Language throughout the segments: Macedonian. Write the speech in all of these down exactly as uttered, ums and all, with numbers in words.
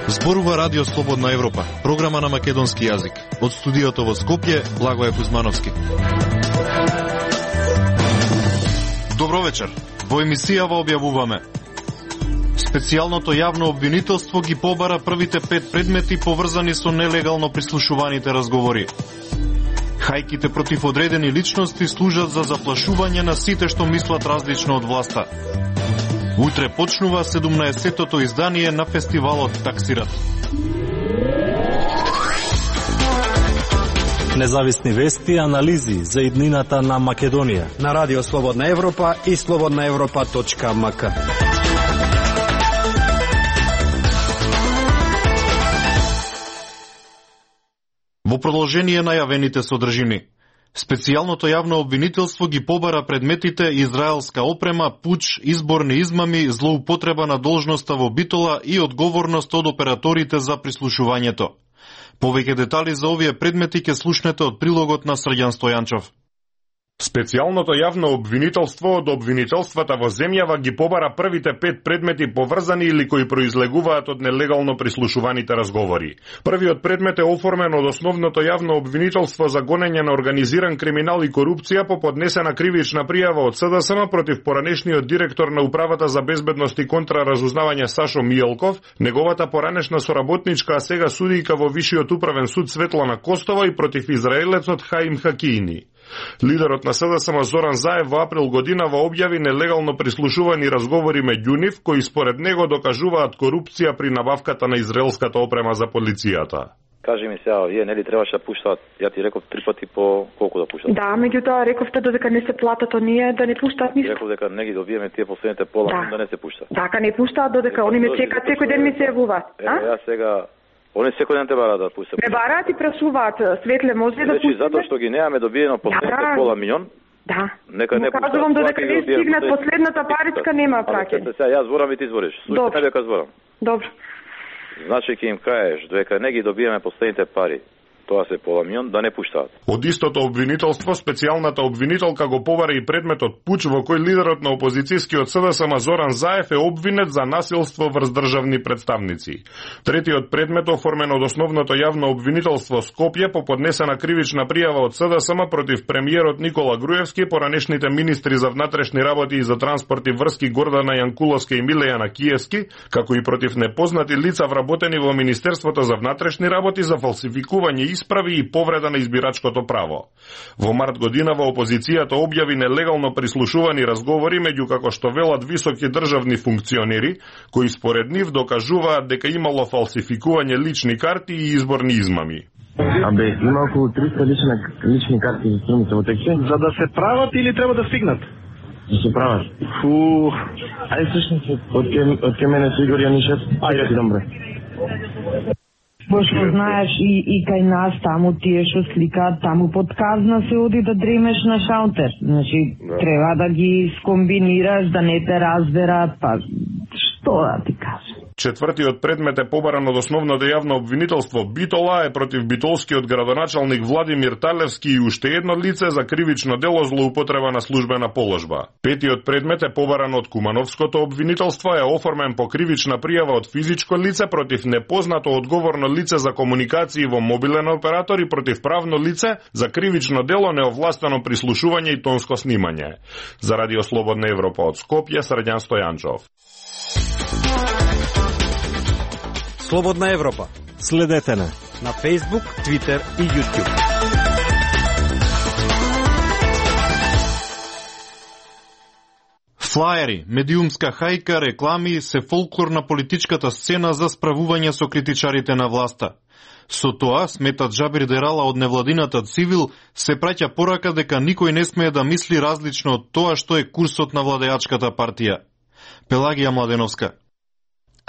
Зборува Радио Слободна Европа, програма на македонски јазик. Од студиото во Скопје, Благој Кузмановски. Добро вечер. Во емисијава објавуваме: специјалното јавно обвинителство ги побара првите пет предмети поврзани со нелегално прислушуваните разговори. Хајките против одредени личности служат за заплашување на сите што мислат различно од власта. Утре почнува седумнаесеттото издание на фестивалот Таксират. Независни вести и анализи за иднината на Македонија на Радио Слободна Европа и слободна европа точка ем ка. Во продолжение најавените содржини. Специјалното јавно обвинителство ги побара предметите израелска опрема, пуч, изборни измами, злоупотреба на должноста во Битола и одговорност од операторите за прислушувањето. Повеќе детали за овие предмети ќе слушнете од прилогот на Срѓан Стојанчов. Специјалното јавно обвинителство од обвинителствата во земјава ги побара првите пет предмети поврзани или кои произлегуваат од нелегално прислушуваните разговори. Првиот предмет е оформен од основното јавно обвинителство за гонење на организиран криминал и корупција по поднесена кривична пријава од СДСМ против поранешниот директор на Управата за безбедност и контраразузнавање Сашо Мијалков, неговата поранешна соработничка, а сега судијка во Вишиот управен суд Светлана Костова и против израелецот Хаим Хакиини. Лидерот на СДСМ Зоран Заев во април годинава објави нелегално прислушувани разговори меѓу нив, кои според него докажуваат корупција при набавката на израелската опрема за полицијата. Кажи ми сега, вие нели требаше да пуштаат? Ја ти реков три пати по колку да пуштаат? Да, меѓутоа рековте додека не се платат оние да не пуштаат ништо. Реков дека не ги добиеме тие последните пола, да, да не се пуштаат. Така не пуштаат додека они ме чекаат, секој ден ми се јавуваат. Ево ја сега они секој ден те бараат да пуштат. Ме бараат и прашуваат, Светле, може ли да пуштиме? Значи затоа што ги немаме добиено последните да, пола милион. Да. Нека не пуштат. Кажувам додека не стигнат последната паричка нема праќање. Сега јас зборам и ти збориш. Слушај дека зборам. Добро. Значи ќе им кажеш дека не ги добиеме последните пари, тоа се пола милион, да не пуштаат. Од истото обвинителство, специјалната обвинителка го побара и предметот пуч во кој лидерот на опозицијскиот СДСМ Зоран Заев е обвинет за насилство врз државни представници. Третиот предмет, оформен од основното јавно обвинителство Скопје по поднесена кривична пријава од СДСМ против премиерот Никола Груевски, поранешните министри за внатрешни работи и за транспорт и врски Гордана Јанкуловска и Милејана Киевски, како и против непознати лица вработени во Министерството за внатрешни работи за фалсификување исправи и повреда на избирачкото право. Во март годинава опозицијата објави нелегално прислушувани разговори меѓу, како што велат, високи државни функционери, кои според нив докажуваат дека имало фалсификување лични карти и изборни измами. Абе, има околу триста лични, лични карти за струмите во тексе. За да се прават или треба да стигнат? Да се прават. Фу, ајде слушнете, од ке мене се Игор Јанишев, ајде ти добре. Пошто знаеш и, и кај нас таму тие што сликаат, таму под казна се оди да дремеш на шалтер. Значи, да, треба да ги скомбинираш, да не те разберат, па што да ти кажам. Четвртиот предмет е побаран од основното јавно обвинителство Битола, е против битолскиот градоначалник Владимир Талевски и уште едно лице за кривично дело злоупотреба на службена положба. Петиот предмет е побаран од Кумановското обвинителство, е оформен по кривична пријава од физичко лице против непознато одговорно лице за комуникации во мобилен оператор и против правно лице за кривично дело неовластено прислушување и тонско снимање. За Радио Слободна Европа од Скопје, Срѓан Стојанчов. Слободна Европа. Следете на на Facebook, Twitter и YouTube. Флаери, медиумска хајка, реклами се фолклор на политичката сцена за справување со критичарите на власта. Со тоа, сметат Джабир Дерала од невладината Цивил, се праќа порака дека никој не смее да мисли различно од тоа што е курсот на владеачката партија. Пелагија Младеновска.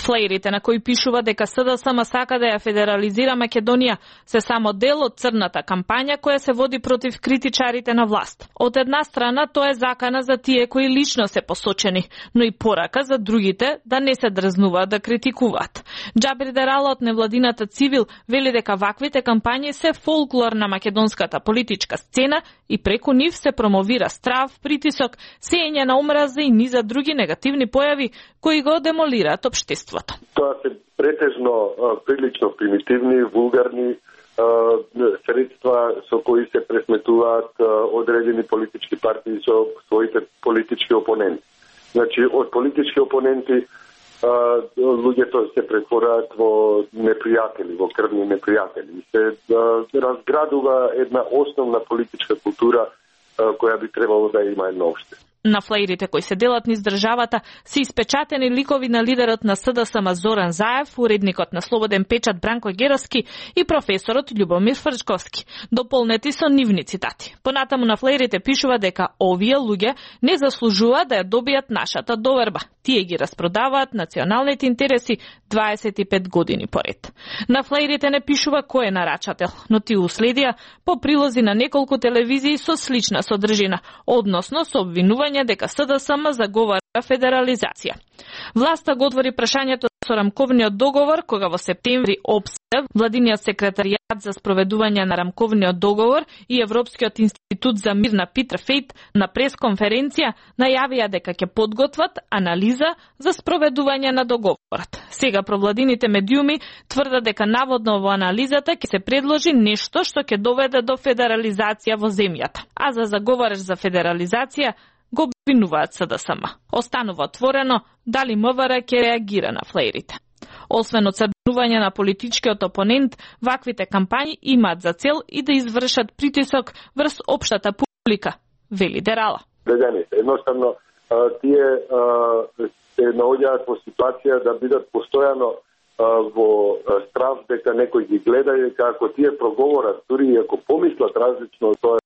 Флеерите на кои пишува дека СДСМ сака да ја федерализира Македонија се само дел од црната кампања која се води против критичарите на власт. Од една страна тоа е закана за тие кои лично се посочени, но и порака за другите да не се дрзнуваат да критикуваат. Џабир Дерала од невладината Цивил вели дека ваквите кампањи се фолклор на македонската политичка сцена и преку нив се промовира страв, притисок, сеење на омраза и низа други негативни појави кои го демолираат општеството. Тоа се претежно а, прилично примитивни, вулгарни а, средства со кои се пресметуваат а, одредени политички партии со своите политички опоненти. Значи, од политички опоненти а, луѓето се претвораат во непријатели, во крвни непријатели. Се а, разградува една основна политичка култура а, која би требало да има едно општество. На флеерите кои се делат низ државата се испечатени ликови на лидерот на СДСМ Зоран Заев, уредникот на Слободен печат Бранко Геровски и професорот Љубомир Фрчковски, дополнети со нивни цитати. Понатаму на флеерите пишува дека овие луѓе не заслужуваат да ја добијат нашата доверба. Тие ги распродаваат националните интереси дваесет и пет години поред. На флеерите не пишува кој е нарачател, но тие уследија по прилози на неколку телевизии со слична содржина, односно со обвинување дека СДСМ заговара федерализација. Власта го отвори прашањето со рамковниот договор, кога во септември ОПСЕ, владиниот секретаријат за спроведување на рамковниот договор и Европскиот институт за мир на Питер Фейт на пресконференција најавија дека ќе подготват анализа за спроведување на договорот. Сега провладините медиуми тврдат дека наводно во анализата ќе се предложи нешто што ќе доведе до федерализација во земјата. А за заговараш за федерализација го обвинуваат СДСМ. Останува отворено дали МВР ќе реагира на флеерите. Освен оцрнување на политичкиот опонент, ваквите кампањи имаат за цел и да извршат притисок врз општата публика, вели Дерала. Граѓаните, едноставно, тие се наоѓаат во ситуација да бидат постојано во страв дека некој ги гледа и дека ако тие проговорат, дури и ако помислат различно, тоа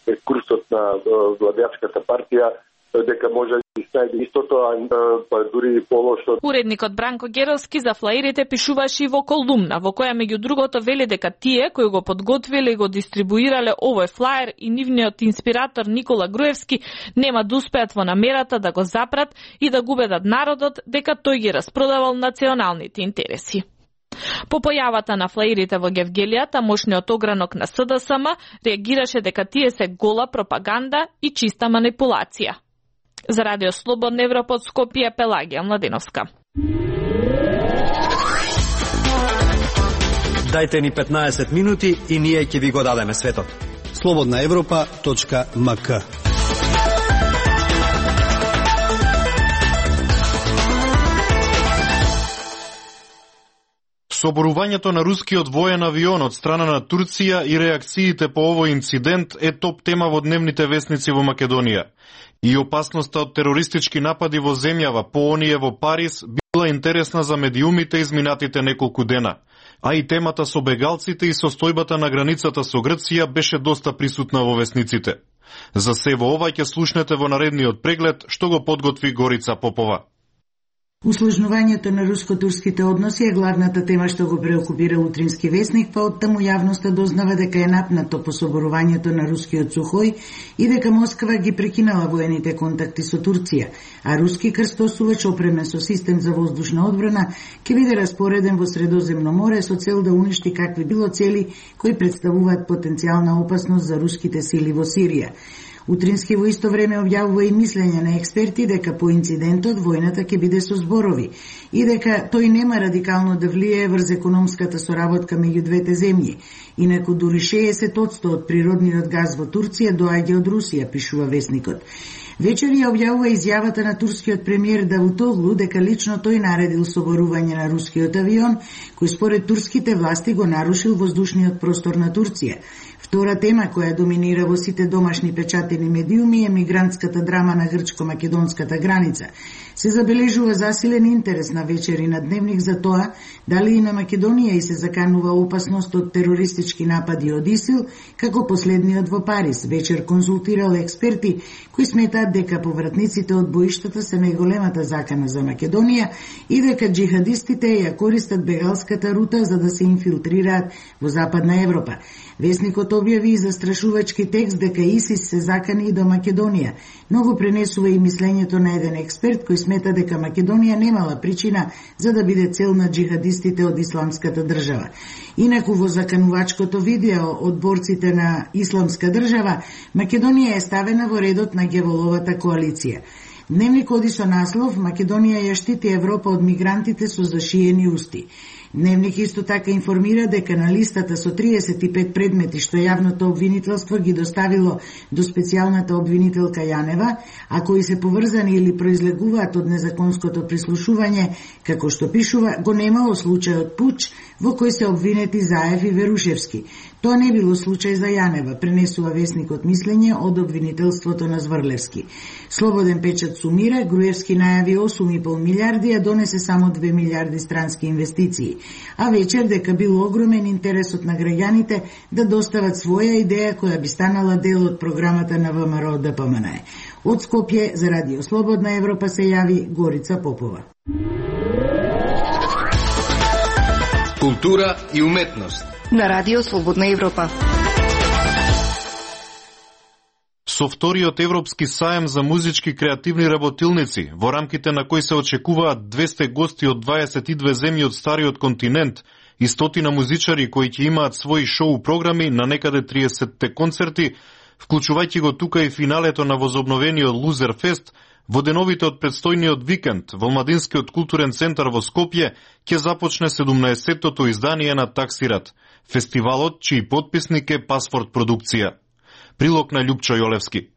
е курсот на владеачката партија, дека може да најде истото, а дури и полошо. Уредникот Бранко Геровски за флеерите пишуваше и во колумна, во која меѓу другото вели дека тие кои го подготвиле и го дистрибуирале овој флаер и нивниот инспиратор Никола Груевски нема да успеат во намерата да го запрат и да го убедат народот дека тој ги распродавал националните интереси. По појавата на флеерите во Гевгелија, тамошниот огранок на СДСМ реагираше дека тие се гола пропаганда и чиста манипулација. За Радио Слободна Европа од Скопје, Пелагија Младеновска. Дајте ни петнаесет минути и ние ќе ви го дадеме светот. слободна европа точка ем ка. Соборувањето на рускиот воен авион од страна на Турција и реакциите по овој инцидент е топ тема во дневните весници во Македонија. И опасноста од терористички напади во земјава, по оние во Париз, била интересна за медиумите изминатите неколку дена. А и темата со бегалците и состојбата на границата со Грција беше доста присутна во весниците. За се во ова ќе слушнете во наредниот преглед, што го подготви Горица Попова. Усложнувањето на руско-турските односи е главната тема што го преокупира утрински весник, па оттаму јавноста дознава дека е напнато по соборувањето на рускиот Сухој и дека Москва ги прекинала воените контакти со Турција, а руски крстосувач опремен со систем за воздушна одбрана ќе биде распореден во Средоземно море со цел да уништи какви било цели кои представуваат потенцијална опасност за руските сили во Сирија. Утрински во исто време објавува и мислење на експерти дека по инцидентот војната ќе биде со зборови и дека тој нема радикално да влијае врз економската соработка меѓу двете земји. Инаку дури шеесет одсто од природниот газ во Турција доаѓа од Русија, пишува весникот. Вечер ја објавува изјавата на турскиот премиер Давутоглу дека лично тој наредил соборување на рускиот авион, кој според турските власти го нарушил воздушниот простор на Турција. Втора тема која доминира во сите домашни печатени медиуми е мигрантската драма на грчко-македонската граница. Се забележува засилен интерес на вечери на Дневник за тоа дали и на Македонија и се заканува опасност од терористички напади од ИСИЛ, како последниот во Париз. Вечер консултирал експерти кои сметаат дека повратниците од боиштата се најголемата закана за Македонија и дека джихадистите ја користат бегалската рута за да се инфилтрираат во Западна Европа. Весникот објави и застрашувачки текст дека ИСИС се закани и до Македонија, но го пренесува и мислењето на еден експерт кој смета дека Македонија немала причина за да биде цел на джихадистите од исламската држава. Инаку во заканувачкото видео од борците на исламска држава, Македонија е ставена во редот на Геволовата коалиција. Дневник оди со наслов «Македонија ја штити Европа од мигрантите со зашиени усти». Дневник исто така информира дека на листата со триесет и пет предмети што јавното обвинителство ги доставило до специјалната обвинителка Јанева, а кои се поврзани или произлегуваат од незаконското прислушување, како што пишува, го немало случајот пуч во кој се обвинети Заев и Верушевски. Тоа не било случај за Јанева, пренесува весникот мислење од обвинителството на Зврлевски. Слободен печат сумира, Груевски најави осум и пол милиарди, а донесе само две милиарди странски инвестиции. А вечер дека бил огромен интересот на граѓаните да достават своја идеја која би станала дел од програмата на ВМРО Д П М Н Е. Од Скопје за Радио Слободна Европа се јави Горица Попова. Култура и уметност на Радио Слободна Европа. Со вториот Европски саем за музички креативни работилници, во рамките на кој се очекуваат двесте гости од дваесет и две земји од стариот континент и стотина музичари кои ќе имаат своји шоу програми на некаде триесетте концерти, вклучувајќи го тука и финалето на возобновениот Лузер Фест, во деновите од предстојниот викенд во Младинскиот културен центар во Скопје ќе започне седумнаесеттото издание на Таксират, фестивалот чиј потписник е Пасфорт продукција. Прилог на Љупчо Јолевски.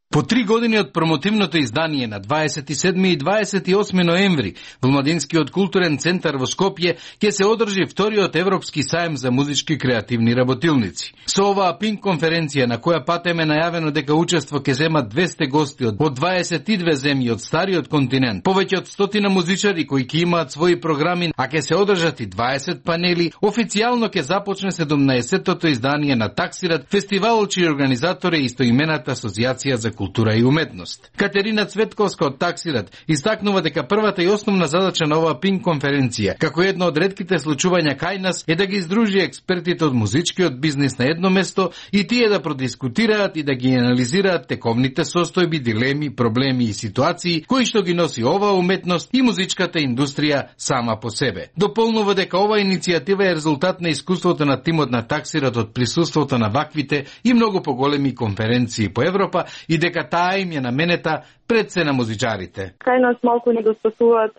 По три години од промотивното издание на дваесет и седми и дваесет и осми ноември во Младинскиот културен центар во Скопје ќе се одржи вториот Европски саем за музички креативни работилници. Со оваа пинг конференција на која патем е најавено дека учество ќе земат двесте гости од дваесет и две земји од стариот континент, повеќе од стотина музичари кои ќе имаат своји програми, а ќе се одржат и дваесет панели, официјално ќе започне седумнаесеттото издание на Таксират, фестивалот чиј организатор е истоимената Асоциација за култура и уметност. Катерина Цветковска од Таксират истакнува дека првата и основна задача на оваа пинг конференција, како едно од ретките случувања кај нас, е да ги издружи експертите од музичкиот бизнис на едно место и тие да продискутираат и да ги анализираат тековните состојби, дилеми, проблеми и ситуации кои што ги носи оваа уметност и музичката индустрија сама по себе. Дополнува дека оваа иницијатива е резултат на искуството на тимот на Таксират од присуството на ваквите и многу поголеми конференции по Европа и дека таа им е наменета пред се на музичарите. Кај нас малку недостасуваат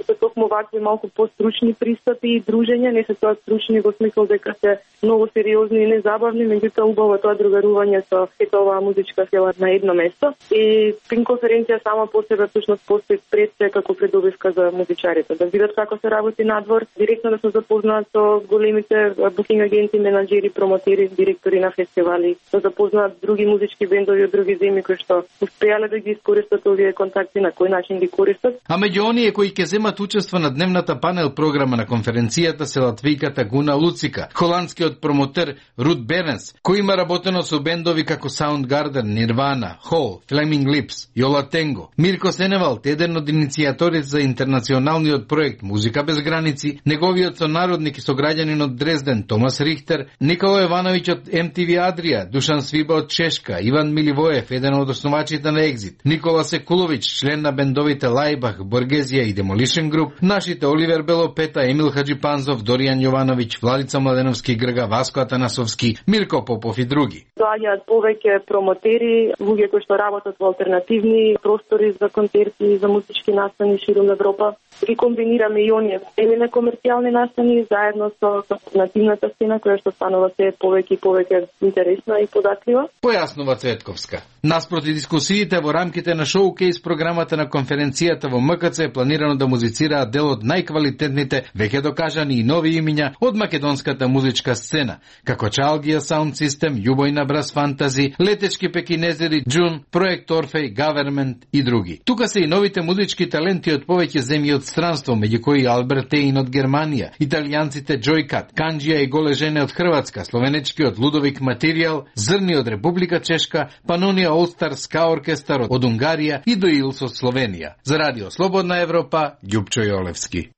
се токму вакви малку постручни пристапи и дружења, не се тоа стручни во смисол дека се многу сериозни и незабавни, меѓутоа убаво тоа другарување со сета оваа музичка сила на едно место. И пинг конференција сама по себе всушност постои пред се како предобивка за музичарите, да видат како се работи надвор, директно да се запознаат со големите букинг агенти, менаџери, промотери, директори на фестивали, да запознаат други музички бендови од други земји кои што успеале да ги искористат овие контакти, на кој начин ги користат. А меѓу оние кои ќе земат учество на дневната панел програма на конференцијата се латвијката Гуна Луцика, холандскиот промотер Рут Беренс, кој има работено со бендови како Soundgarden, Nirvana, Hole, Flaming Lips, Јола Тенго, Мирко Сеневалт, еден од иницијаторите за интернационалниот проект Музика без граници, неговиот сонародник и сограѓанин од Дрезден Томас Рихтер, Никола Јовановиќ од Ем Ти Ви Адрија, Душан Свиба од Чешка, Иван Миливоев, еден од основачите на Екзит, Никола Секуловиќ, член на бендовите Лајбах, Боргезија и Demolition Group, нашите Оливер Белопета, Емил Хаджипанзов, Доријан Јовановиќ, Владица Младеновски Грга, Васко Атанасовски, Мирко Попов и други. Доаѓаат повеќе промотери, луѓе кои што работат во алтернативни простори за концерти и за музички настани ширум Европа. ги комбинираме и оние елене комерцијални настани заедно со, со нативната сцена која што станува се повеќе и повеќе интересна и податлива. Појаснува Цветковска. Наспроти дискусиите во рамките на шоукейс програмата на конференцијата во М К Ц е планирано да музицираат дел од најквалитетните, веќе докажани и нови имиња од македонската музичка сцена, како Чалгија Саунд Систем, Јубојна Брас Фантази, Летечки пекинезери, Джун, Проект Орфеј, Гавермент и други. Тука се и новите музички таленти од повеќе земји од странство, меѓу кои Алберт Еин од Германија, италијанците Джојкат, Канџија и Голе жене од Хрватска, словенечкиот Лудовик Материјал, Зрни од Република Чешка, Панонија Олстар Ска оркестар од Унгарија и Доилс од Словенија. За Радио Слободна Европа, Ѓупчо Јолевски.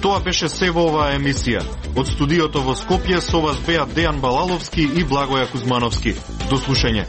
Тоа беше се во оваа емисија. Од студиото во Скопје со вас беа Дејан Балаловски и Благоја Кузмановски. До слушање.